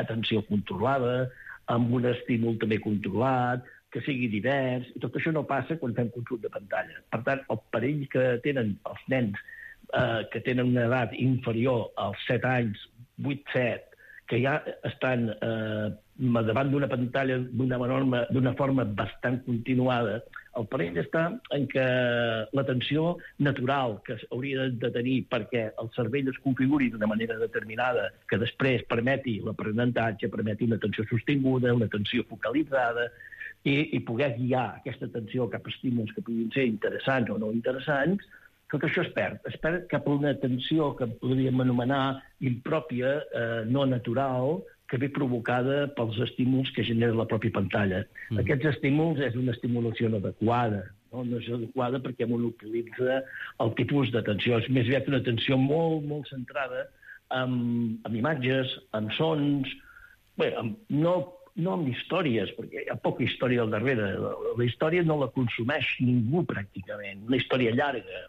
atenció controlada, amb un estímul també controlat, que sigui divers, i tot això no passa quan fem consum de pantalla. Per tant, el perill que tenen els nens eh, que tenen una edat inferior als set anys, vuit set, que ja estan eh, davant d'una pantalla d'una forma, d'una forma bastant continuada, el perill està en que l'atenció natural que hauria de tenir perquè el cervell es configuri d'una manera determinada que després permeti l'aprenentatge, permeti una atenció sostinguda, una atenció focalitzada, i, i poder guiar aquesta atenció cap a estímuls que puguin ser interessants o no interessants, tot això es perd. Es perd cap a una atenció que podríem anomenar impròpia, eh, no natural, que ve provocada pels estímuls que genera la pròpia pantalla. Mm. Aquests estímuls és una estimulació no adequada, no? No és adequada perquè monopolitza el tipus d'atenció. És més aviat una atenció molt, molt centrada en, en imatges, en sons, bé, en, no no amb històries, perquè hi ha poca història al darrere. La, la història no la consumeix ningú, pràcticament. Una història llarga.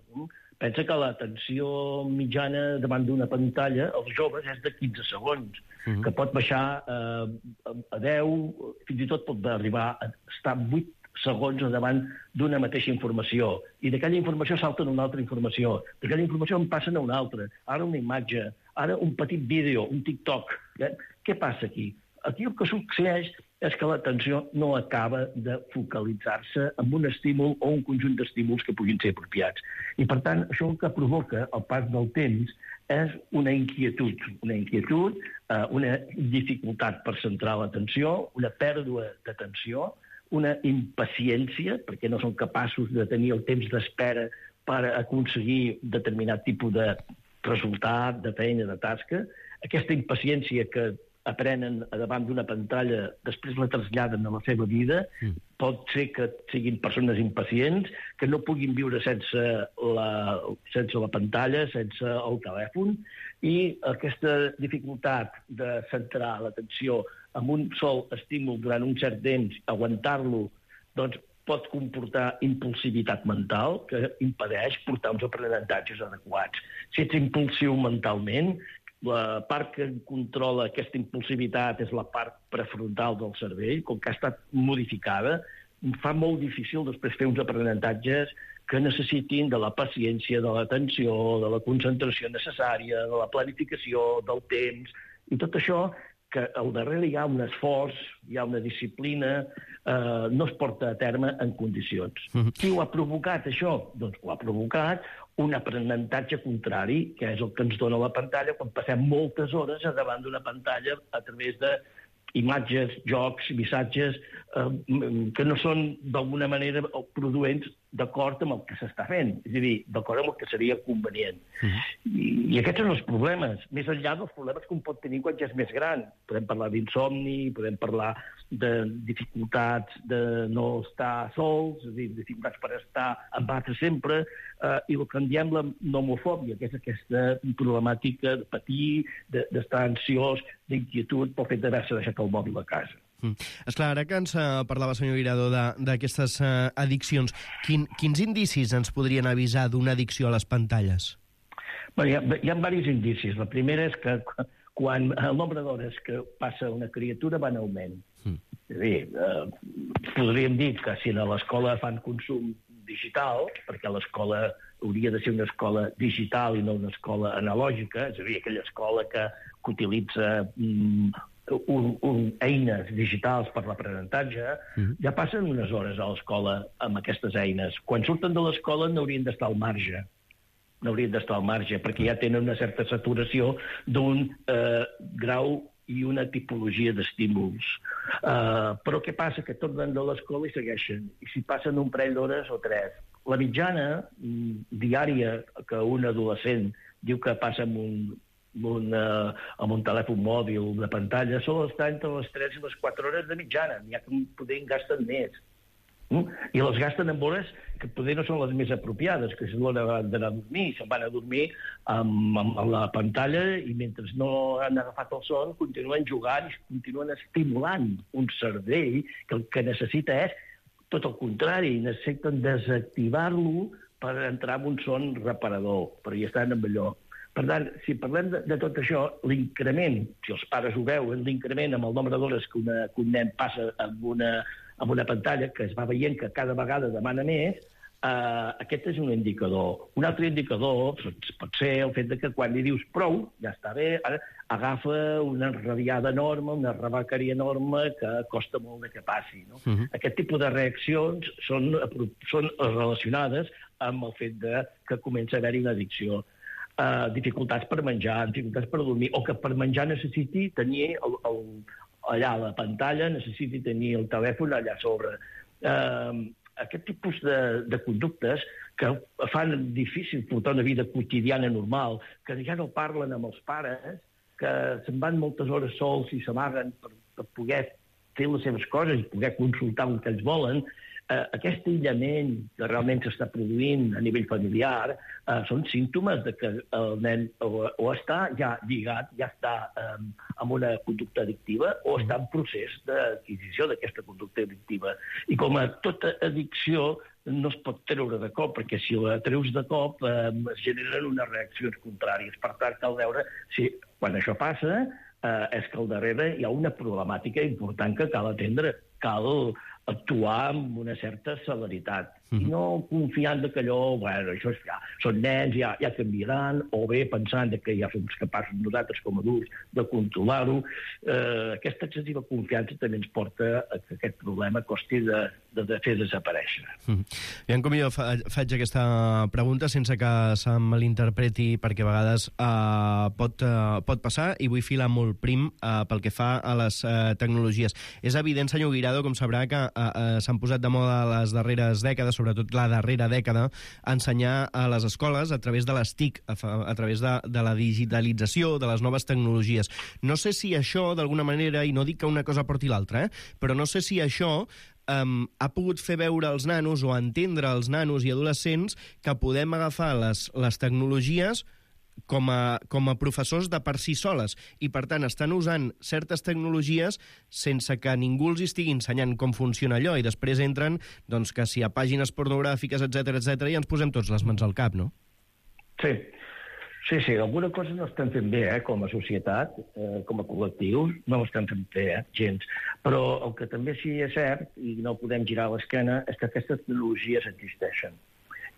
Pensa que l'atenció mitjana davant d'una pantalla, els joves, és de quinze segons, uh-huh. que pot baixar eh, a deu, fins i tot pot arribar a estar vuit segons davant d'una mateixa informació. I d'aquella informació salten una altra informació. D'aquella informació en passen a una altra. Ara una imatge, ara un petit vídeo, un TikTok. Eh? Què passa aquí? Aquí el que succeeix és que l'atenció no acaba de focalitzar-se en un estímul o un conjunt d'estímuls que puguin ser apropiats. I, per tant, això el que provoca al pas del temps és una inquietud, una inquietud, eh, una dificultat per centrar l'atenció, una pèrdua d'atenció, una impaciència, perquè no són capaços de tenir el temps d'espera per aconseguir determinat tipus de resultat, de feina, de tasca. Aquesta impaciència que aprenen davant d'una pantalla, després la traslladen a la seva vida, mm. pot ser que siguin persones impacients, que no puguin viure sense la, sense la pantalla, sense el telèfon, i aquesta dificultat de centrar l'atenció en un sol estímul durant un cert temps, aguantar-lo, doncs pot comportar impulsivitat mental, que impedeix portar uns aprenentatges adequats. Si ets impulsiu mentalment, la part que controla aquesta impulsivitat és la part prefrontal del cervell, com que ha estat modificada, fa molt difícil després fer uns aprenentatges que necessitin de la paciència, de l'atenció, de la concentració necessària, de la planificació, del temps, i tot això que al darrere hi ha un esforç, hi ha una disciplina, eh, no es porta a terme en condicions. Mm-hmm. Qui ho ha provocat, això? Doncs ho ha provocat un aprenentatge contrari, que és el que ens dona la pantalla quan passem moltes hores davant d'una pantalla a través de imatges, jocs, missatges eh, que no són d'alguna manera produents d'acord amb el que s'està fent, és a dir, d'acord amb el que seria convenient. Mm-hmm. I, I aquests són els problemes, més enllà dels problemes que un pot tenir quan ja és més gran. Podem parlar d'insomni, podem parlar de dificultats de no estar sols, és a dir, dificultats per estar amb altres sempre, eh, i el que en diem la nomofòbia, que és aquesta problemàtica de patir, d'estar de, ansiós, d'inquietud pel fet d'haver-se deixat el mòbil a casa. Mm. Esclar, ara que ens uh, parlava, senyor Guirado, d'aquestes uh, addiccions, quin, quins indicis ens podrien avisar d'una addicció a les pantalles? Bé, hi ha, hi ha diversos indicis. La primera és que quan el nombre d'hores que passa una criatura va en augment. Mm. És a dir, eh, podríem dir que si a l'escola fan consum digital, perquè l'escola hauria de ser una escola digital i no una escola analògica, és a dir, aquella escola que, que utilitza mm, un, un, eines digitals per l'aprenentatge, mm-hmm. ja passen unes hores a l'escola amb aquestes eines. Quan surten de l'escola n'haurien d'estar al marge. N'haurien d'estar al marge, perquè ja tenen una certa saturació d'un eh, grau i una tipologia d'estímuls. Uh, però què passa? Que tornen de l'escola i segueixen. I si passen un parell d'hores o tres. La mitjana mm, diària que un adolescent diu que passa amb un, amb un, uh, amb un telèfon mòbil de pantalla sol estar entre les tres i les quatre hores de mitjana. N'hi ha que poder en gasten més. Mm? I les gasten en hores que poder no són les més apropiades, que és l'hora d'anar a dormir. Se'n van a dormir amb, amb la pantalla i mentre no han agafat el son continuen jugant i continuen estimulant un cervell que el que necessita és tot el contrari, necessiten desactivar-lo per entrar en un son reparador, però hi estan amb allò. Per tant, si parlem de, de tot això, l'increment, si els pares ho veuen, l'increment amb el nombre d'hores que, una, que un nen passa amb una, amb una pantalla, que es va veient que cada vegada demana més, eh, aquest és un indicador. Un altre indicador pot ser el fet de que quan li dius prou, ja està bé, ara agafa una enrabiada enorme, una rebequeria enorme que costa molt de que passi. No? Uh-huh. Aquest tipus de reaccions són, són relacionades amb el fet de que comença a haver-hi una addicció. Uh, dificultats per menjar, dificultats per dormir, o que per menjar necessiti tenir el, el, allà a la pantalla, necessiti tenir el telèfon allà sobre. Uh, aquest tipus de, de conductes que fan difícil portar una vida quotidiana normal, que ja no parlen amb els pares, que se'n van moltes hores sols i s'amaguen per, per poder fer les seves coses i poder consultar el que ells volen, eh, aquest aïllament que realment s'està produint a nivell familiar eh, són símptomes de que el nen o, o està ja lligat, ja està eh, amb una conducta addictiva o està en procés d'adquisició d'aquesta conducta addictiva. I com a tota addicció no es pot treure de cop, perquè si la treus de cop eh, es generen unes reaccions contràries. Per tant, cal veure si quan això passa eh, és que al darrere hi ha una problemàtica important que cal atendre. Cal actuar amb una certa celeritat. Mm-hmm. I no confiant que allò, bueno, això és, ja, són nens, ja, ja canviaran, o bé pensant que ja som capaços nosaltres com a adults de controlar-ho. Eh, aquesta excessiva confiança també ens porta a que aquest problema costi de, de, de fer desaparèixer. Mm-hmm. I com jo fa, faig aquesta pregunta sense que se malinterpreti, perquè a vegades eh, pot, eh, pot passar, i vull filar molt prim eh, pel que fa a les eh, tecnologies. És evident, senyor Guirado, com sabrà, que eh, eh, s'han posat de moda les darreres dècades, sobretot la darrera dècada, a ensenyar a les escoles a través de les T I C, a, a través de, de la digitalització, de les noves tecnologies. No sé si això, d'alguna manera, i no dic que una cosa porti l'altra, eh, però no sé si això Um, ha pogut fer veure als nanos o entendre als nanos i adolescents que podem agafar les, les tecnologies com a, com a professors de per si soles, i per tant estan usant certes tecnologies sense que ningú els estigui ensenyant com funciona allò, i després entren doncs, que si a pàgines pornogràfiques, etcètera, etcètera, i ens posem tots les mans al cap, no? Sí. Sí, sí, alguna cosa no estem fent bé, eh, com a societat, eh, com a col·lectiu, no ho estem fent bé, eh, gens. Però el que també sí és cert, i no podem girar l'esquena, és que aquestes tecnologies existeixen.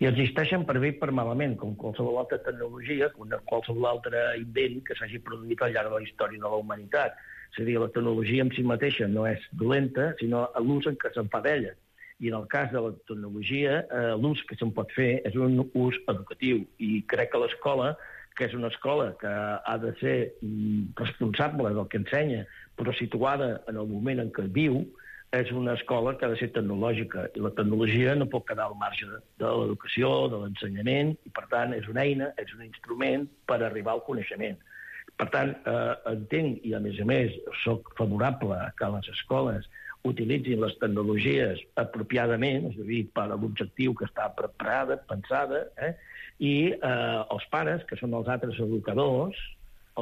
I existeixen per bé i per malament, com qualsevol altra tecnologia, com qualsevol altre invent que s'hagi produït al llarg de la història de la humanitat. És a dir, la tecnologia en si mateixa no és dolenta, sinó l'ús en què se'n fa d'ella. I en el cas de la tecnologia, eh, l'ús que se'n pot fer és un ús educatiu. I crec que l'escola, que és una escola que ha de ser mm, responsable del que ensenya, però situada en el moment en què viu, és una escola que ha de ser tecnològica. I la tecnologia no pot quedar al marge de, de l'educació, de l'ensenyament, i per tant és una eina, és un instrument per arribar al coneixement. Per tant, eh, entenc, i a més a més soc favorable que les escoles utilitzin les tecnologies apropiadament, és a dir, per a l'objectiu que està preparada, pensada, eh? I eh, els pares, que són els altres educadors,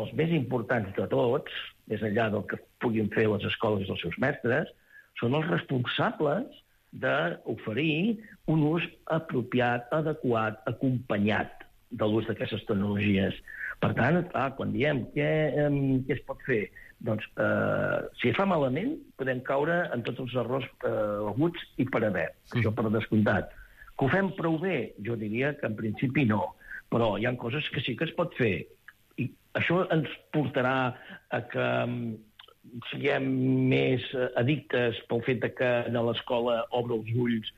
els més importants de tots, més enllà del que puguin fer les escoles i els seus mestres, són els responsables d'oferir un ús apropiat, adequat, acompanyat de l'ús d'aquestes tecnologies. Per tant, clar, quan diem què, eh, què es pot fer, doncs, eh, si es fa malament, podem caure en tots els errors eh, aguts i per haver. Mm. Això per descomptat. Que ho fem prou bé? Jo diria que en principi no. Però hi ha coses que sí que es pot fer. I això ens portarà a que siguem més addictes pel fet de que a l'escola obre els ulls.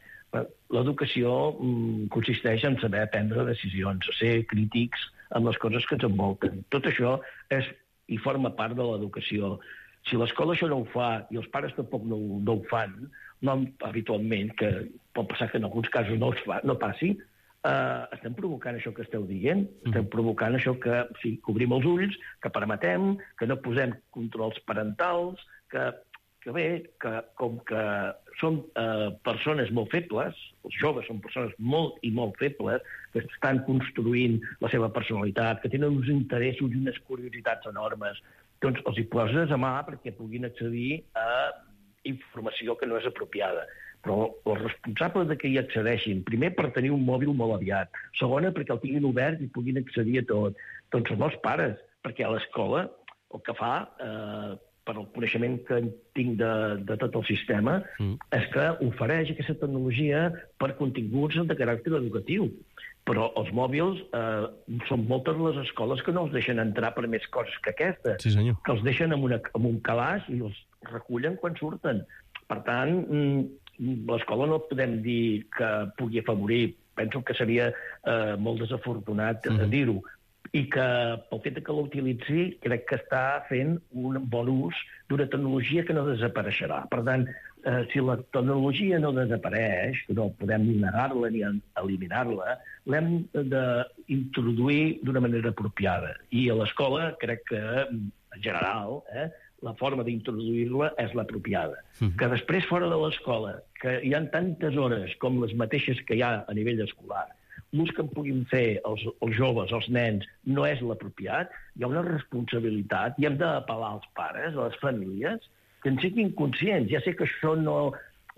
L'educació mm, consisteix en saber prendre decisions, a ser crítics amb les coses que ens envolten. Tot això és i forma part de l'educació. Si l'escola això no ho fa i els pares tampoc no, no ho fan, no habitualment, que pot passar que en alguns casos no, fa, no passi, eh, estem provocant això que esteu dient, estem provocant això que, sí, que obrim els ulls, que permetem, que no posem controls parentals, que, que bé, que com que són eh, persones molt febles, els joves són persones molt i molt febles, que estan construint la seva personalitat, que tenen uns interessos i unes curiositats enormes, doncs els hi poses a mà perquè puguin accedir a informació que no és apropiada. Però els responsables de que hi accedeixin, primer per tenir un mòbil molt aviat, segona perquè el tinguin obert i puguin accedir a tot, doncs són els pares, perquè a l'escola el que fa, eh, per el coneixement que tinc de, de tot el sistema, mm. és que ofereix aquesta tecnologia per continguts de caràcter educatiu. Però els mòbils, eh, són moltes les escoles que no els deixen entrar per més coses que aquesta, sí, senyor. Que els deixen en, una, en un calaix i els recullen quan surten. Per tant, l'escola no podem dir que pugui afavorir, penso que seria eh, molt desafortunat mm-hmm. dir-ho, i que pel fet que l'utilitzi crec que està fent un bon ús d'una tecnologia que no desapareixerà. Per tant, eh, si la tecnologia no desapareix, no podem ni negar-la ni eliminar-la, l'hem d'introduir d'una manera apropiada. I a l'escola crec que, en general, eh, la forma d'introduir-la és l'apropiada. Mm. Que després, fora de l'escola, que hi ha tantes hores com les mateixes que hi ha a nivell escolar, l'ús que en puguin fer els, els joves, els nens, no és l'apropiat, hi ha una responsabilitat i hem d'apel·lar als pares, a les famílies, que en siguin conscients. Ja sé que això no,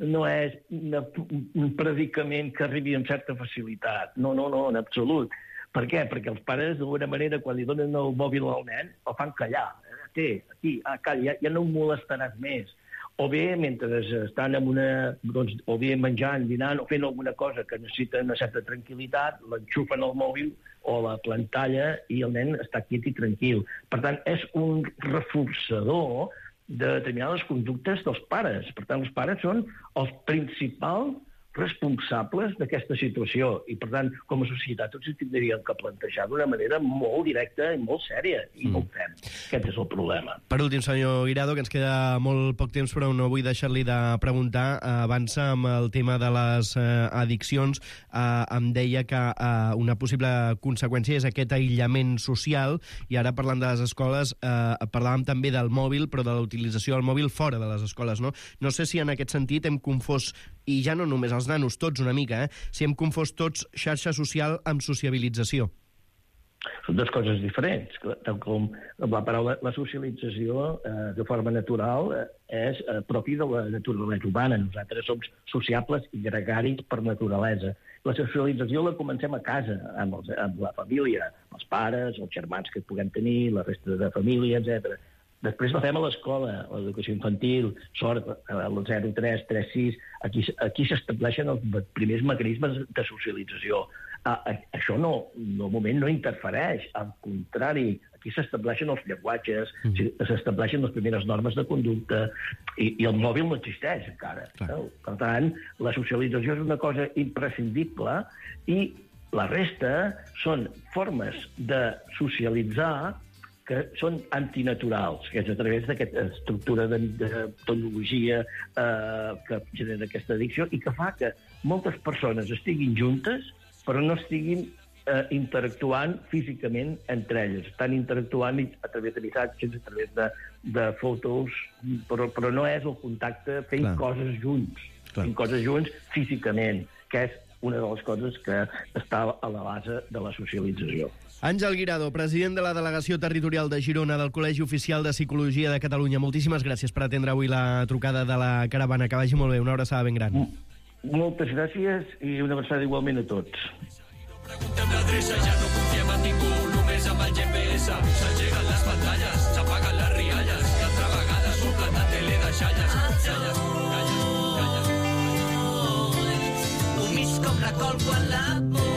no és una, un predicament que arribi amb certa facilitat. No, no, no, en absolut. Per què? Perquè els pares, d'alguna manera, quan li donen el mòbil al nen, el fan callar. Té, aquí, ah, calla, ja, ja no ho molestaràs més. O bé, mentre estan en una, doncs, o bé menjant, dinant, o fent alguna cosa que necessita una certa tranquil·litat, l'enxufen al mòbil o la pantalla i el nen està quiet i tranquil. Per tant, és un reforçador de determinades conductes dels pares. Per tant, els pares són els principals responsables d'aquesta situació. I, per tant, com a societat, tots ens tindríem que plantejar d'una manera molt directa i molt sèria, i mm. no ho fem. Aquest és el problema. Per últim, senyor Guirado, que ens queda molt poc temps, però no vull deixar-li de preguntar. Abans, amb el tema de les eh, addiccions, eh, em deia que eh, una possible conseqüència és aquest aïllament social, i ara, parlant de les escoles, eh, parlàvem també del mòbil, però de la utilització del mòbil fora de les escoles, no? No sé si en aquest sentit hem confós, i ja no només els nanos, tots una mica, eh? Si hem confós tots xarxa social amb sociabilització. Són dues coses diferents. Tal com la paraula, la socialització eh, de forma natural eh, és eh, propi de la naturalesa humana. Nosaltres som sociables i gregaris per naturalesa. La socialització la comencem a casa, amb, els, amb la família, els pares, els germans que puguem tenir, la resta de família, etcètera. Després la fem a l'escola, a l'educació infantil, sort, al zero tres, tres sis, aquí, aquí s'estableixen els primers mecanismes de socialització. Ah, això no, no, moment no interfereix, al contrari, aquí s'estableixen els llenguatges, mm. s'estableixen les primeres normes de conducta, i, i el mòbil no existeix encara. No? Per tant, la socialització és una cosa imprescindible, i la resta són formes de socialitzar que són antinaturals, que és a través d'aquesta estructura de, de tecnologia eh, que genera aquesta addicció i que fa que moltes persones estiguin juntes però no estiguin eh, interactuant físicament entre elles. Estan interactuant a través de missatges, a través de, de fotos, però, però no és el contacte fent Clar. coses junts, Clar. fent coses junts físicament, que és una de les coses que està a la base de la socialització. Àngel Guirado, president de la Delegació Territorial de Girona del Col·legi Oficial de Psicologia de Catalunya. Moltíssimes gràcies per atendre avui la trucada de la caravana. Que vagi molt bé, una abraçada ben gran. Moltes gràcies i una abraçada igualment a tots. Preguntem l'adreça, ja no confiem en ningú, només amb el G P S. S'engeguen les pantalles, s'apaguen les rialles, i altra vegada s'omplen de tele de xalles. Xalles, calles, calles. Un mig com la col quan la por